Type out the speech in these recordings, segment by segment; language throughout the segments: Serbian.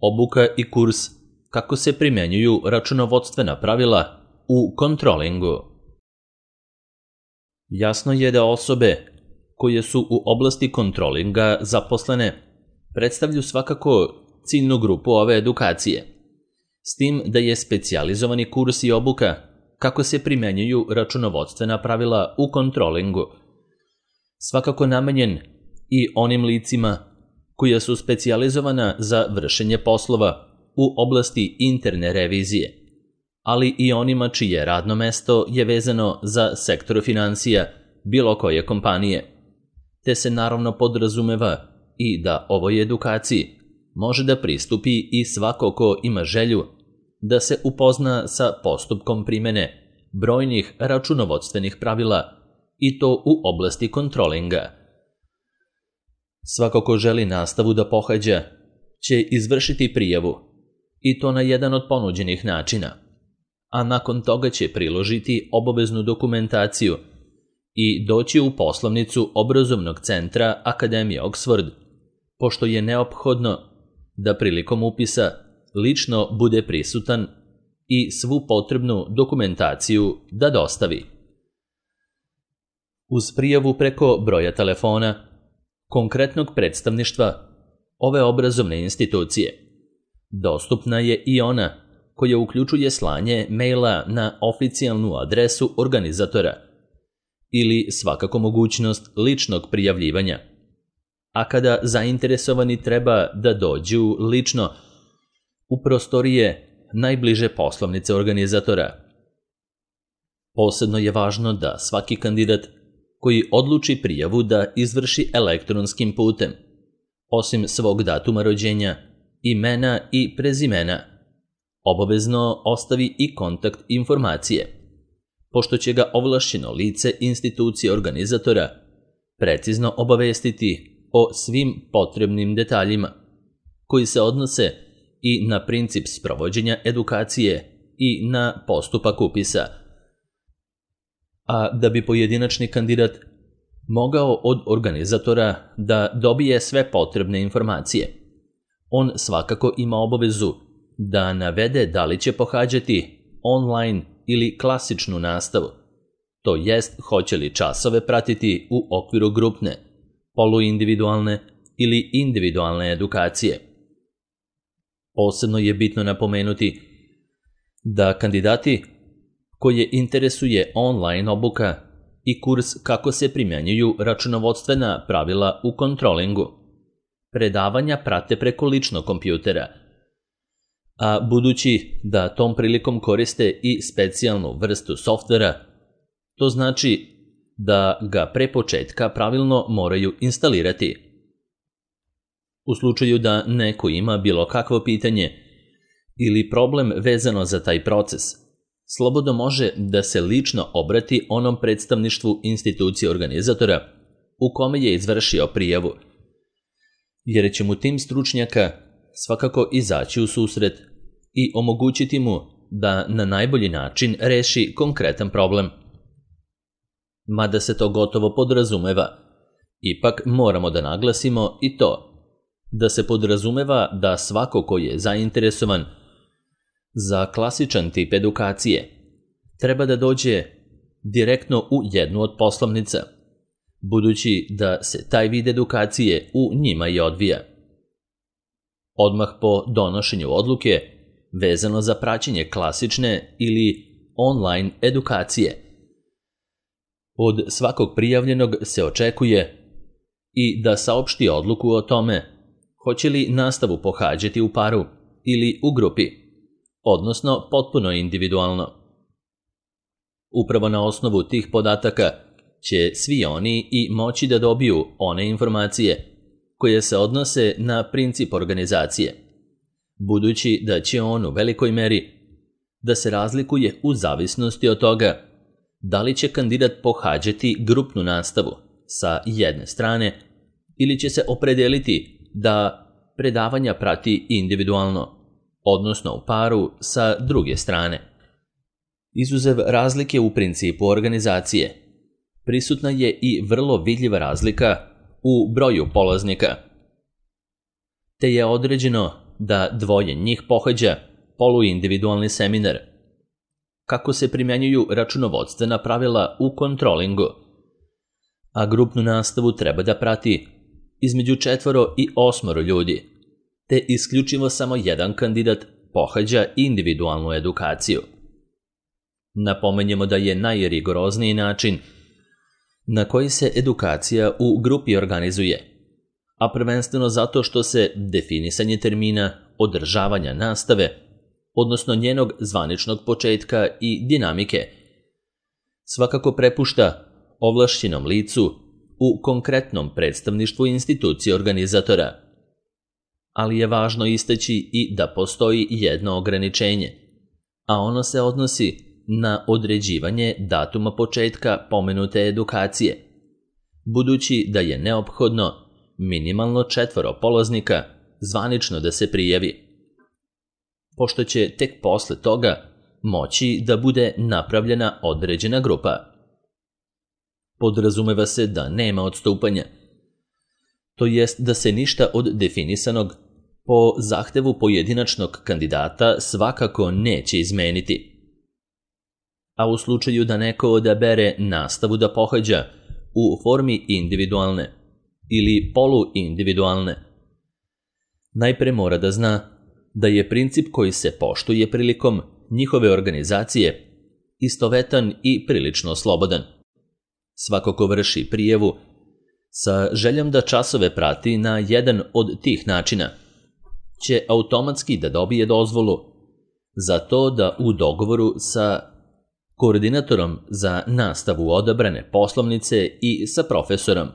obuka i kurs kako se primjenjuju računovodstvena pravila u kontrolingu. Jasno je da osobe koje su u oblasti kontrolinga zaposlene predstavljaju svakako ciljnu grupu ove edukacije, s tim da je specijalizovani kurs i obuka kako se primjenjuju računovodstvena pravila u kontrolingu svakako namenjen i onim licima koja su specijalizovana za vršenje poslova u oblasti interne revizije, ali i onima čije radno mesto je vezano za sektor finansija bilo koje kompanije, te se naravno podrazumeva i da ovoj edukaciji može da pristupi i svako ko ima želju da se upozna sa postupkom primene brojnih računovodstvenih pravila i to u oblasti kontrolinga. Svako ko želi nastavu da pohađa će izvršiti prijavu i to na jedan od ponuđenih načina, a nakon toga će priložiti obaveznu dokumentaciju i doći u poslovnicu obrazovnog centra Akademije Oxford, pošto je neophodno da prilikom upisa lično bude prisutan i svu potrebnu dokumentaciju da dostavi. Uz prijavu preko broja telefona konkretnog predstavništva ove obrazovne institucije, dostupna je i ona koja uključuje slanje maila na oficijalnu adresu organizatora ili svakako mogućnost ličnog prijavljivanja, a kada zainteresovani treba da dođu lično u prostorije najbliže poslovnice organizatora. Posebno je važno da svaki kandidat koji odluči prijavu da izvrši elektronskim putem, osim svog datuma rođenja, imena i prezimena, obavezno ostavi i kontakt informacije, pošto će ga ovlašćeno lice institucije organizatora precizno obavestiti o svim potrebnim detaljima koji se odnose i na princip sprovođenja edukacije i na postupak upisa. A da bi pojedinačni kandidat mogao od organizatora da dobije sve potrebne informacije, on svakako ima obavezu da navede da li će pohađati online ili klasičnu nastavu, to jest hoće li časove pratiti u okviru grupne, poluindividualne ili individualne edukacije. Posebno je bitno napomenuti da kandidati koje interesuje online obuka i kurs kako se primjenjuju računovodstvena pravila u kontrolingu, predavanja prate preko ličnog kompjutera, a budući da tom prilikom koriste i specijalnu vrstu softvera, to znači da ga pre početka pravilno moraju instalirati. U slučaju da neko ima bilo kakvo pitanje ili problem vezano za taj proces, slobodno može da se lično obrati onom predstavništvu institucije organizatora u kome je izvršio prijavu, jer će mu tim stručnjaka svakako izaći u susret i omogućiti mu da na najbolji način reši konkretan problem. Mada se to gotovo podrazumeva, ipak moramo da naglasimo i to da se podrazumeva da svako ko je zainteresovan za klasičan tip edukacije treba da dođe direktno u jednu od poslovnica, budući da se taj vid edukacije u njima i odvija. Odmah po donošenju odluke vezano za praćenje klasične ili online edukacije, od svakog prijavljenog se očekuje i da saopšti odluku o tome hoće li nastavu pohađati u paru ili u grupi, odnosno potpuno individualno. Upravo na osnovu tih podataka će svi oni i moći da dobiju one informacije koje se odnose na princip organizacije, budući da će on u velikoj meri da se razlikuje u zavisnosti od toga da li će kandidat pohađati grupnu nastavu sa jedne strane ili će se opredeliti da predavanja prati individualno, odnosno u paru sa druge strane. Izuzev razlike u principu organizacije, prisutna je i vrlo vidljiva razlika u broju polaznika, te je određeno da dvoje njih pohađa poluindividualni seminar. Kako se primjenjuju računovodstvena pravila u kontrolingu, a grupnu nastavu treba da prati između 4 i 8 ljudi, te isključivo samo jedan kandidat pohađa individualnu edukaciju. Napomenjemo da je najrigorozniji način na koji se edukacija u grupi organizuje, a prvenstveno zato što se definisanje termina održavanja nastave, odnosno njenog zvaničnog početka i dinamike, svakako prepušta ovlašćenom licu u konkretnom predstavništvu institucije organizatora. Ali je važno istaći i da postoji jedno ograničenje, a ono se odnosi na određivanje datuma početka pomenute edukacije, budući da je neophodno minimalno 4 polaznika zvanično da se prijavi, pošto će tek posle toga moći da bude napravljena određena grupa. Podrazumeva se da nema odstupanja, to jest da se ništa od definisanog po zahtevu pojedinačnog kandidata svakako neće izmeniti. A u slučaju da neko odabere nastavu da pohađa u formi individualne ili poluindividualne, najpre mora da zna da je princip koji se poštuje prilikom njihove organizacije istovetan i prilično slobodan. Svako ko vrši prijavu sa željom da časove prati na jedan od tih načina će automatski da dobije dozvolu za to da u dogovoru sa koordinatorom za nastavu odabrane poslovnice i sa profesorom,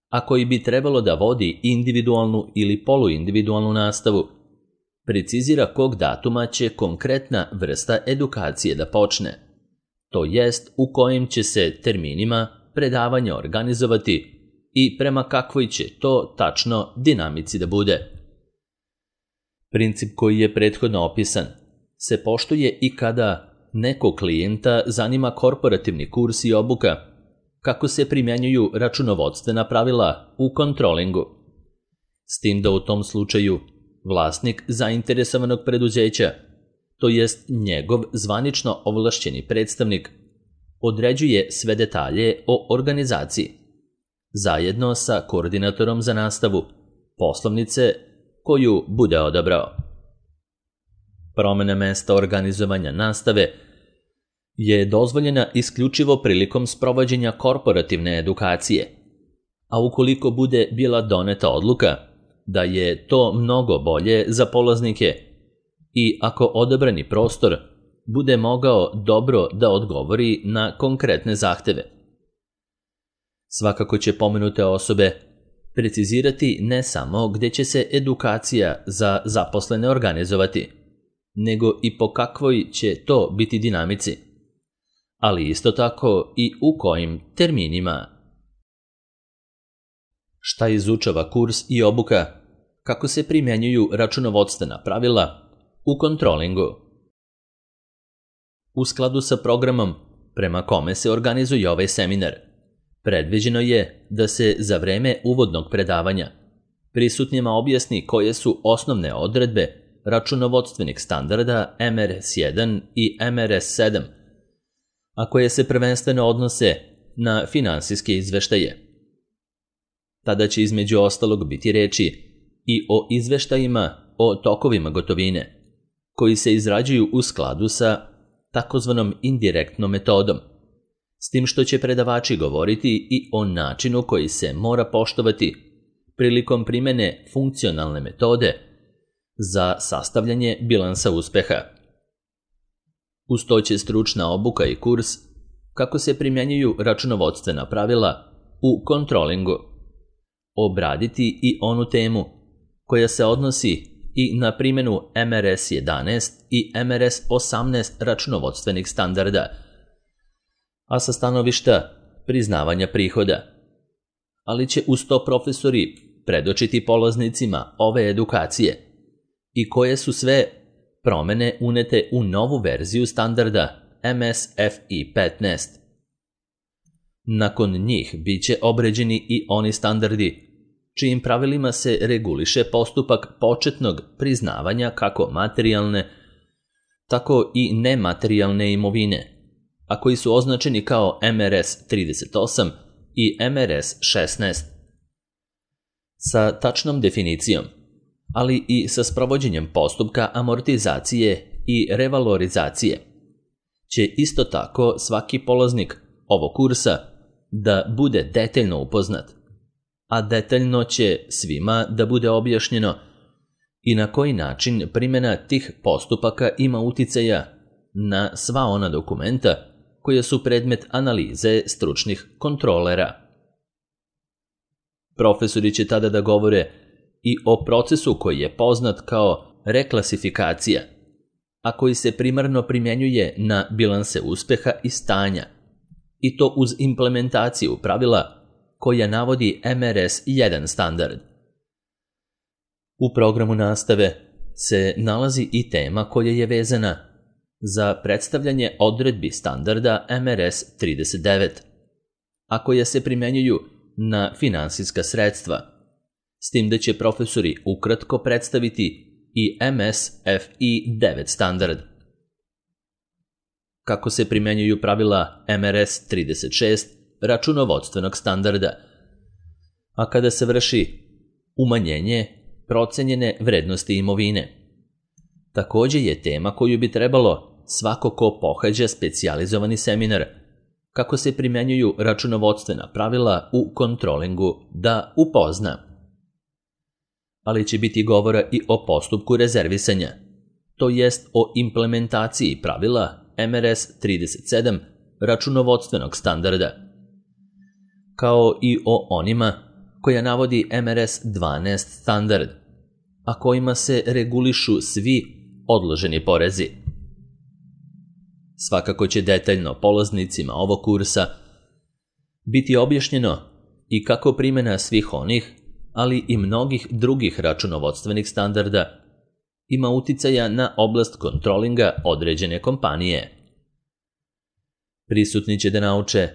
a koji bi trebalo da vodi individualnu ili poluindividualnu nastavu, precizira kog datuma će konkretna vrsta edukacije da počne, to jest u kojim će se terminima predavanja organizovati i prema kakvoj će to tačno dinamici da bude. Princip koji je prethodno opisan se poštuje i kada nekog klijenta zanima korporativni kurs i obuka, kako se primjenjuju računovodstvena pravila u kontrolingu. S tim da u tom slučaju vlasnik zainteresovanog preduzeća, to jest njegov zvanično ovlašćeni predstavnik, određuje sve detalje o organizaciji, zajedno sa koordinatorom za nastavu poslovnice koju bude odabrao. Promena mesta organizovanja nastave je dozvoljena isključivo prilikom sprovođenja korporativne edukacije, a ukoliko bude bila doneta odluka da je to mnogo bolje za polaznike i ako odabrani prostor bude mogao dobro da odgovori na konkretne zahteve. Svakako će pomenute osobe precizirati ne samo gde će se edukacija za zaposlene organizovati, nego i po kakvoj će to biti dinamici, ali isto tako i u kojim terminima. Šta izučava kurs i obuka, kako se primjenjuju računovodstvena pravila u kontrolingu. U skladu sa programom prema kome se organizuje ovaj seminar, predviđeno je da se za vreme uvodnog predavanja prisutnjima objasni koje su osnovne odredbe računovodstvenih standarda MRS1 i MRS7, a koje se prvenstveno odnose na finansijske izveštaje. Tada će između ostalog biti reči i o izveštajima o tokovima gotovine, koji se izrađuju u skladu sa takozvanom indirektnom metodom, s tim što će predavači govoriti i o načinu koji se mora poštovati prilikom primene funkcionalne metode za sastavljanje bilansa uspeha. Uz to će stručna obuka i kurs kako se primjenjuju računovodstvena pravila u kontrolingu obraditi i onu temu koja se odnosi i na primjenu MRS 11 i MRS 18 računovodstvenih standarda, a sa stanovišta priznavanja prihoda. Ali će uz to profesori predočiti polaznicima ove edukacije i koje su sve promene unete u novu verziju standarda MSFI 15. Nakon njih bit će obređeni i oni standardi čijim pravilima se reguliše postupak početnog priznavanja kako materijalne, tako i nematerijalne imovine, a koji su označeni kao MRS 38 i MRS 16. Sa tačnom definicijom, ali i sa sprovođenjem postupka amortizacije i revalorizacije, će isto tako svaki polaznik ovog kursa da bude detaljno upoznat, a detaljno će svima da bude objašnjeno i na koji način primjena tih postupaka ima uticaja na sva ona dokumenta koja su predmet analize stručnih kontrolera. Profesori će tada da govore i o procesu koji je poznat kao reklasifikacija, a koji se primarno primjenjuje na bilanse uspeha i stanja, i to uz implementaciju pravila koja navodi MRS 1 standard. U programu nastave se nalazi i tema koja je vezana za predstavljanje odredbi standarda MRS 39, a koja se primjenjuju na finansijska sredstva, s tim da će profesori ukratko predstaviti i MSFI 9 standard. Kako se primjenjuju pravila MRS 36 računovodstvenog standarda, a kada se vrši umanjenje procenjene vrednosti imovine. Također je tema koju bi trebalo svako ko pohađa specijalizovani seminar, kako se primjenjuju računovodstvena pravila u kontrolingu, da upozna. Ali će biti govora i o postupku rezervisanja, to jest o implementaciji pravila MRS 37 računovodstvenog standarda, kao i o onima koja navodi MRS 12 standard, a kojima se regulišu svi odloženi porezi. Svakako će detaljno polaznicima ovog kursa biti objašnjeno i kako primjena svih onih, ali i mnogih drugih računovodstvenih standarda ima uticaja na oblast kontrolinga određene kompanije. Prisutni će da nauče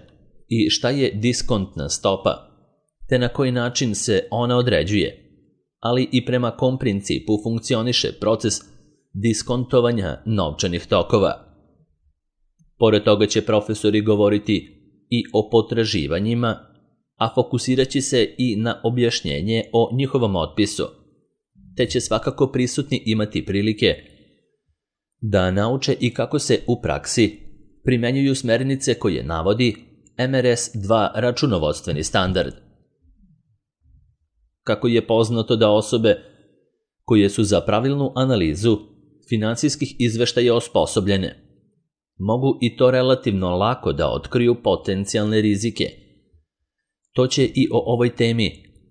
i šta je diskontna stopa, te na koji način se ona određuje, ali i prema kom principu funkcioniše proces diskontovanja novčanih tokova. Pored toga će profesori govoriti i o potraživanjima, a fokusirat će se i na objašnjenje o njihovom otpisu, te će svakako prisutni imati prilike da nauče i kako se u praksi primjenjuju smernice koje navodi MRS 2 računovodstveni standard. Kako je poznato da osobe koje su za pravilnu analizu finansijskih izveštaja osposobljene, mogu i to relativno lako da otkriju potencijalne rizike. To će i o ovoj temi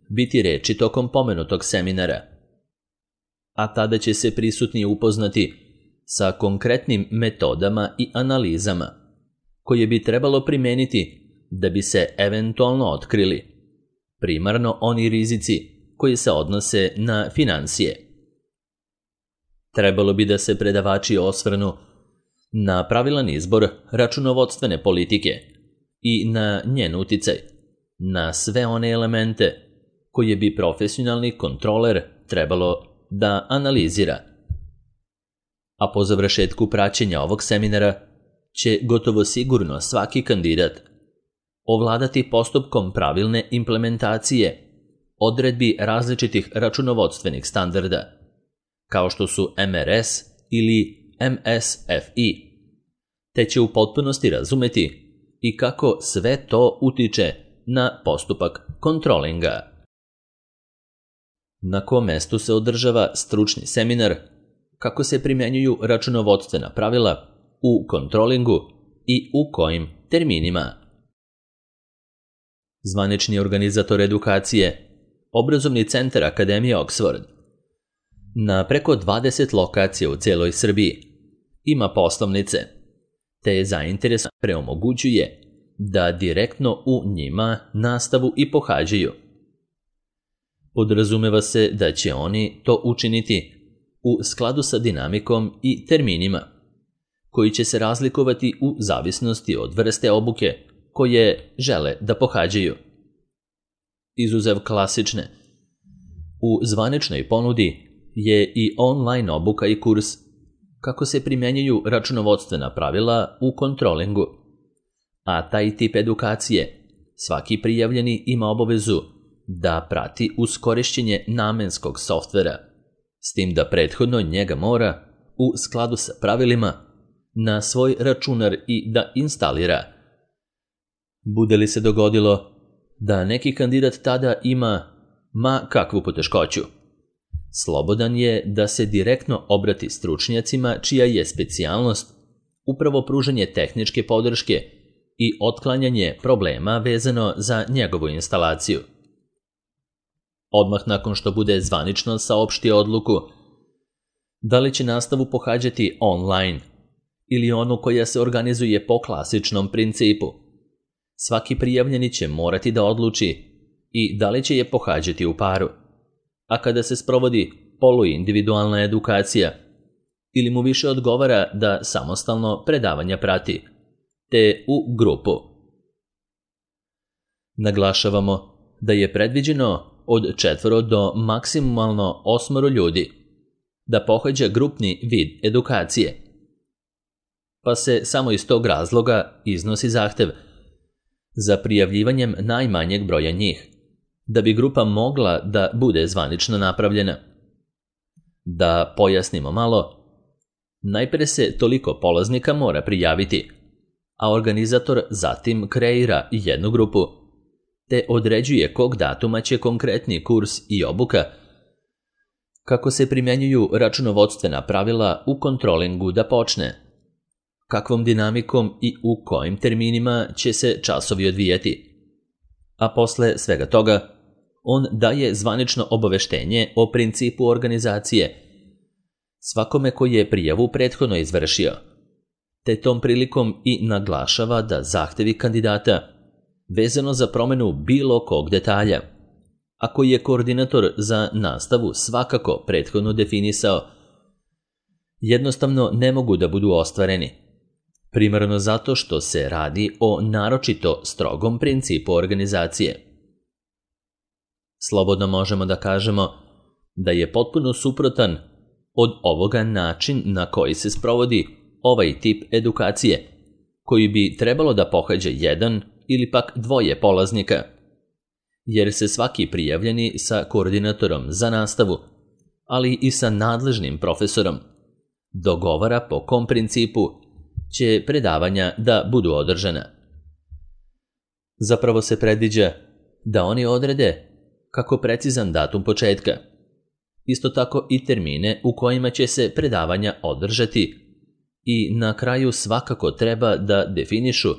biti reči tokom pomenutog seminara, a tada će se prisutni upoznati sa konkretnim metodama i analizama koje bi trebalo primeniti da bi se eventualno otkrili primarno oni rizici koji se odnose na finansije. Trebalo bi da se predavači osvrnu na pravilan izbor računovodstvene politike i na njen uticaj na sve one elemente koje bi profesionalni kontroler trebalo da analizira. A po završetku praćenja ovog seminara će gotovo sigurno svaki kandidat ovladati postupkom pravilne implementacije odredbi različitih računovodstvenih standarda, kao što su MRS ili MSFI, te će u potpunosti razumeti i kako sve to utiče na postupak kontrolinga. Na kom mestu se održava stručni seminar, kako se primjenjuju računovodstvena pravila u kontrolingu i u kojim terminima. Zvanični organizator edukacije, Obrazovni centar Akademije Oxford, na preko 20 lokacija u cijeloj Srbiji ima poslovnice, te je zainteresovan preomogućuje da direktno u njima nastavu i pohađaju. Podrazumeva se da će oni to učiniti u skladu sa dinamikom i terminima, koji će se razlikovati u zavisnosti od vrste obuke koje žele da pohađaju. Izuzev klasične, U zvaničnoj ponudi je i online obuka i kurs kako se primjenjuju računovodstvena pravila u kontrolingu. A taj tip edukacije svaki prijavljeni ima obavezu da prati uz korišćenje namenskog softvera, s tim da prethodno njega mora, u skladu sa pravilima, na svoj računar i da instalira. Bude li se dogodilo da neki kandidat tada ima ma kakvu poteškoću, slobodan je da se direktno obrati stručnjacima čija je specijalnost upravo pružanje tehničke podrške i otklanjanje problema vezano za njegovu instalaciju. Odmah nakon što bude zvanično saopštio odluku da li će nastavu pohađati online ili onu koja se organizuje po klasičnom principu, svaki prijavljeni će morati da odluči i da li će je pohađati u paru, a kada se sprovodi poluindividualna edukacija, ili mu više odgovara da samostalno predavanja prati, te u grupu. Naglašavamo da je predviđeno od 4 do maksimalno 8 ljudi da pohađa grupni vid edukacije, pa se samo iz tog razloga iznosi zahtev za prijavljivanjem najmanjeg broja njih, da bi grupa mogla da bude zvanično napravljena. Da pojasnimo malo, najpre se toliko polaznika mora prijaviti, a organizator zatim kreira jednu grupu, te određuje kog datuma će konkretni kurs i obuka, kako se primjenjuju računovodstvena pravila u kontrolingu da počne, kakvom dinamikom i u kojim terminima će se časovi odvijati. A posle svega toga, on daje zvanično obaveštenje o principu organizacije svakome koji je prijavu prethodno izvršio, te tom prilikom i naglašava da zahtevi kandidata vezano za promenu bilo kog detalja, a koji je koordinator za nastavu svakako prethodno definisao, jednostavno ne mogu da budu ostvareni, primarno zato što se radi o naročito strogom principu organizacije. Slobodno možemo da kažemo da je potpuno suprotan od ovoga način na koji se sprovodi ovaj tip edukacije, koji bi trebalo da pohađa jedan ili pak 2 polaznika, jer se svaki prijavljeni sa koordinatorom za nastavu, ali i sa nadležnim profesorom, dogovara po kom principu će predavanja da budu održana. Zapravo se predviđa da oni odrede kako precizan datum početka, isto tako i termine u kojima će se predavanja održati i na kraju svakako treba da definišu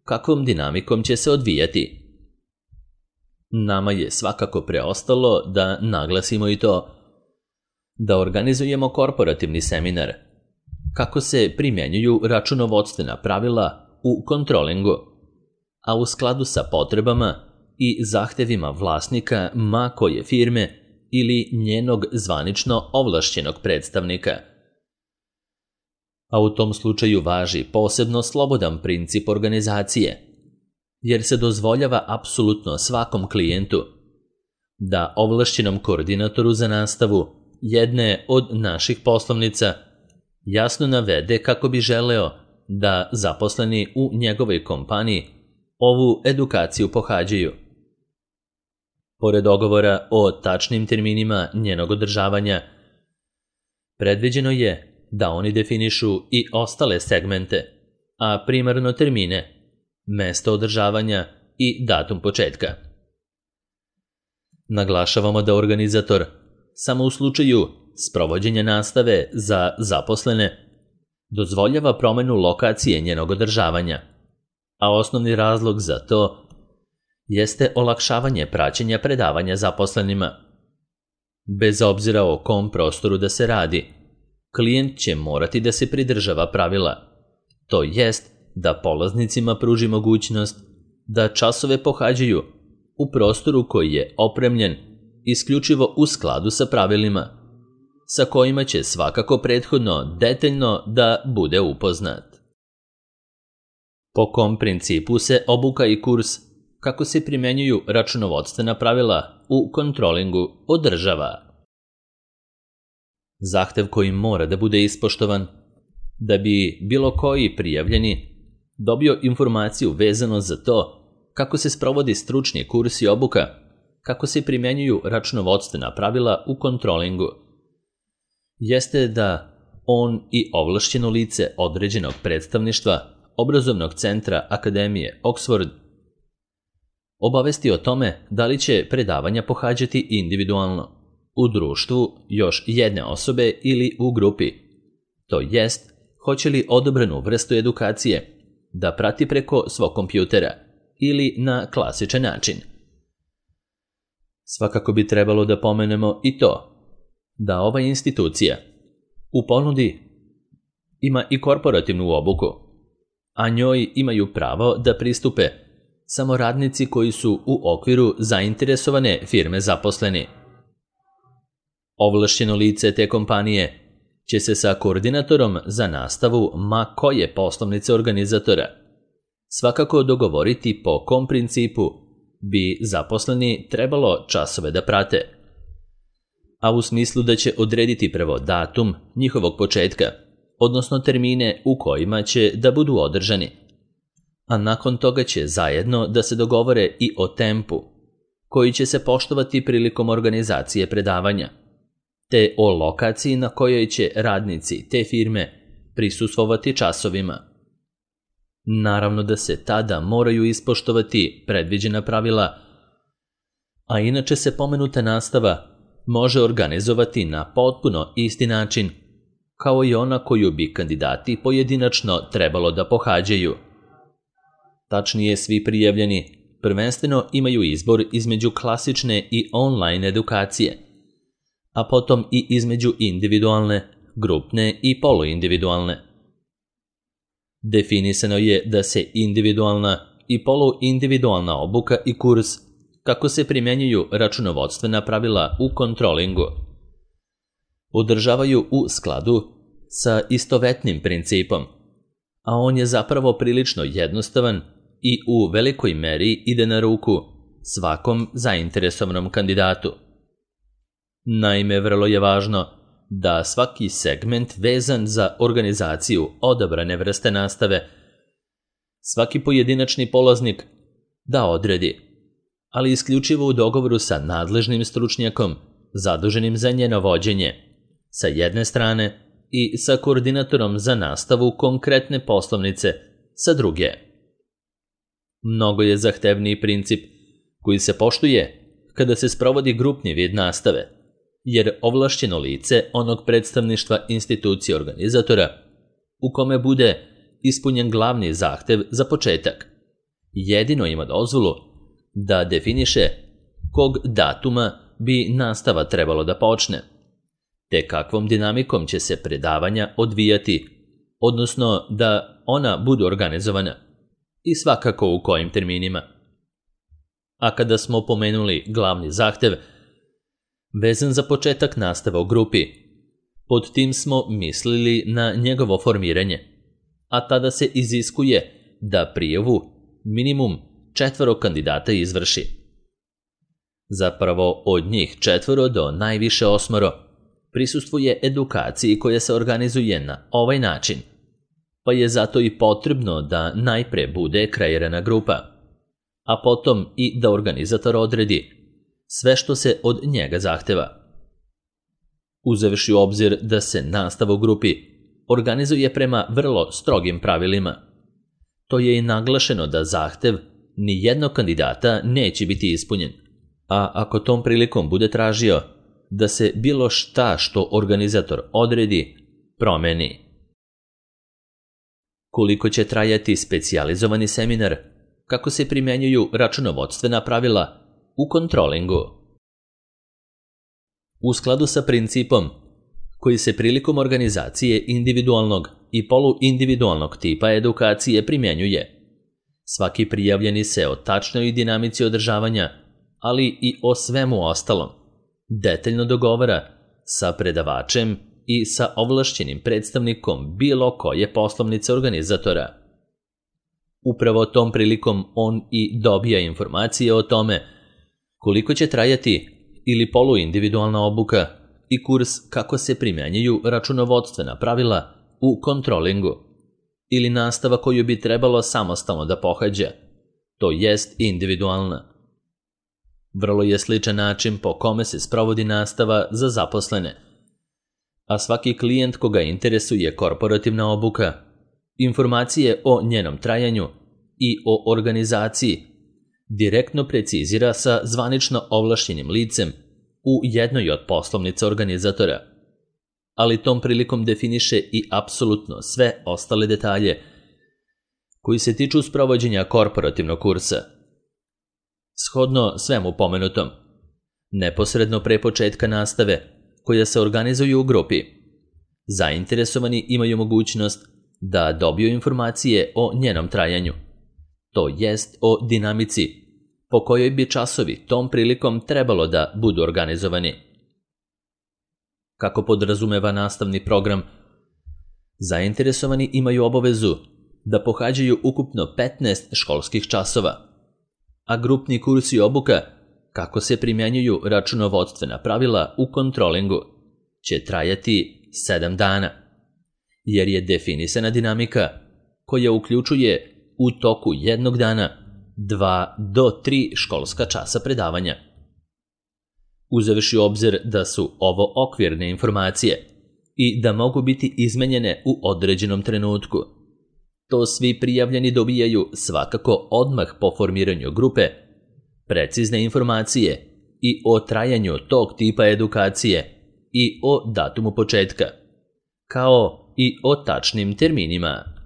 kakvom dinamikom će se odvijati. Nama je svakako preostalo da naglasimo i to da organizujemo korporativni seminar, kako se primjenjuju računovodstvena pravila u kontrolingu, a u skladu sa potrebama i zahtevima vlasnika ma koje firme ili njenog zvanično ovlašćenog predstavnika. A u tom slučaju važi posebno slobodan princip organizacije, jer se dozvoljava apsolutno svakom klijentu da ovlašćenom koordinatoru za nastavu jedne od naših poslovnica jasno navede kako bi želeo da zaposleni u njegovoj kompaniji ovu edukaciju pohađaju. Pored dogovora o tačnim terminima njenog održavanja, predviđeno je da oni definišu i ostale segmente, a primarno termine, mesto održavanja i datum početka. Naglašavamo da organizator samo u slučaju sprovođenja nastave za zaposlene dozvoljava promenu lokacije njenog održavanja, a osnovni razlog za to jeste olakšavanje praćenja predavanja zaposlenima. Bez obzira o kom prostoru da se radi, klijent će morati da se pridržava pravila, to jest da polaznicima pruži mogućnost da časove pohađaju u prostoru koji je opremljen isključivo u skladu sa pravilima, sa kojima će svakako prethodno detaljno da bude upoznat. Po kom principu se obuka i kurs kako se primjenjuju računovodstvena pravila u kontrolingu održava. Zahtev koji mora da bude ispoštovan da bi bilo koji prijavljeni dobio informaciju vezano za to kako se sprovodi stručni kurs i obuka, kako se primjenjuju računovodstvena pravila u kontrolingu, jeste da on i ovlašćeno lice određenog predstavništva obrazovnog centra Akademije Oxford obavesti o tome da li će predavanja pohađati individualno, u društvu još jedne osobe ili u grupi, to jest hoće li odobrenu vrstu edukacije da prati preko svog kompjutera ili na klasičan način. Svakako bi trebalo da pomenemo i to da ova institucija u ponudi ima i korporativnu obuku, a njoj imaju pravo da pristupe samo radnici koji su u okviru zainteresovane firme zaposleni. Ovlašćeno lice te kompanije će se sa koordinatorom za nastavu ma koje poslovnice organizatora svakako dogovoriti po kom principu bi zaposleni trebalo časove da prate, a u smislu da će odrediti prvo datum njihovog početka, odnosno termine u kojima će da budu održani, a nakon toga će zajedno da se dogovore i o tempu koji će se poštovati prilikom organizacije predavanja, te o lokaciji na kojoj će radnici te firme prisustvovati časovima. Naravno da se tada moraju ispoštovati predviđena pravila, a inače se pomenuta nastava može organizovati na potpuno isti način kao i ona koju bi kandidati pojedinačno trebalo da pohađaju. Tačnije, svi prijavljeni prvenstveno imaju izbor između klasične i online edukacije, a potom i između individualne, grupne i poluindividualne. Definisano je da se individualna i poluindividualna obuka i kurs kako se primjenjuju računovodstvena pravila u kontrolingu održavaju u skladu sa istovetnim principom, a on je zapravo prilično jednostavan i u velikoj meri ide na ruku svakom zainteresovanom kandidatu. Naime, vrlo je važno da svaki segment vezan za organizaciju odabrane vrste nastave svaki pojedinačni polaznik da odredi, ali isključivo u dogovoru sa nadležnim stručnjakom zaduženim za njeno vođenje sa jedne strane i sa koordinatorom za nastavu konkretne poslovnice sa druge. Mnogo je zahtevniji princip koji se poštuje kada se sprovodi grupni vid nastave, jer ovlašćeno lice onog predstavništva institucije organizatora u kome bude ispunjen glavni zahtev za početak jedino ima dozvolu da definiše kog datuma bi nastava trebalo da počne, te kakvom dinamikom će se predavanja odvijati, odnosno da ona budu organizovana i svakako u kojim terminima. A kada smo pomenuli glavni zahtev vezan za početak nastave u grupi, pod tim smo mislili na njegovo formiranje, a tada se iziskuje da prijavu minimum 4 kandidata izvrši. Zapravo od njih 4 do najviše 8 prisustvuje edukaciji koja se organizuje na ovaj način, pa je zato i potrebno da najpre bude kreirana grupa, a potom i da organizator odredi sve što se od njega zahteva. Uzevši u obzir da se nastava u grupi organizuje prema vrlo strogim pravilima, to je i naglašeno da zahtev ni jednog kandidata neće biti ispunjen, a ako tom prilikom bude tražio da se bilo šta što organizator odredi promeni. Koliko će trajati specijalizovani seminar, kako se primjenjuju računovodstvena pravila u kontrolingu? U skladu sa principom koji se prilikom organizacije individualnog i poluindividualnog tipa edukacije primjenjuje, svaki prijavljeni se o tačnoj dinamici održavanja, ali i o svemu ostalom, detaljno dogovara sa predavačem i sa ovlašćenim predstavnikom bilo koje poslovnice organizatora. Upravo tom prilikom on i dobija informacije o tome koliko će trajati ili poluindividualna obuka i kurs kako se primjenjuju računovodstvena pravila u kontrolingu ili nastava koju bi trebalo samostalno da pohađa, to jest individualna. Vrlo je sličan način po kome se sprovodi nastava za zaposlene, a svaki klijent koga interesuje korporativna obuka, informacije o njenom trajanju i o organizaciji direktno precizira sa zvanično ovlašćenim licem u jednoj od poslovnica organizatora, ali tom prilikom definiše i apsolutno sve ostale detalje koji se tiču sprovođenja korporativnog kursa. Shodno svemu pomenutom, neposredno pre početka nastave, koja se organizuju u grupi, zainteresovani imaju mogućnost da dobiju informacije o njenom trajanju, to jest o dinamici po kojoj bi časovi tom prilikom trebalo da budu organizovani. Kako podrazumeva nastavni program, zainteresovani imaju obavezu da pohađaju ukupno 15 školskih časova, a grupni kurs i obuka, kako se primjenjuju računovodstvena pravila u kontrolingu, će trajati 7 dana, jer je definisana dinamika koja uključuje u toku jednog dana 2 do 3 školska časa predavanja. Uzevši u obzir da su ovo okvirne informacije i da mogu biti izmenjene u određenom trenutku, to svi prijavljeni dobijaju svakako odmah po formiranju grupe, precizne informacije i o trajanju tog tipa edukacije i o datumu početka, kao i o tačnim terminima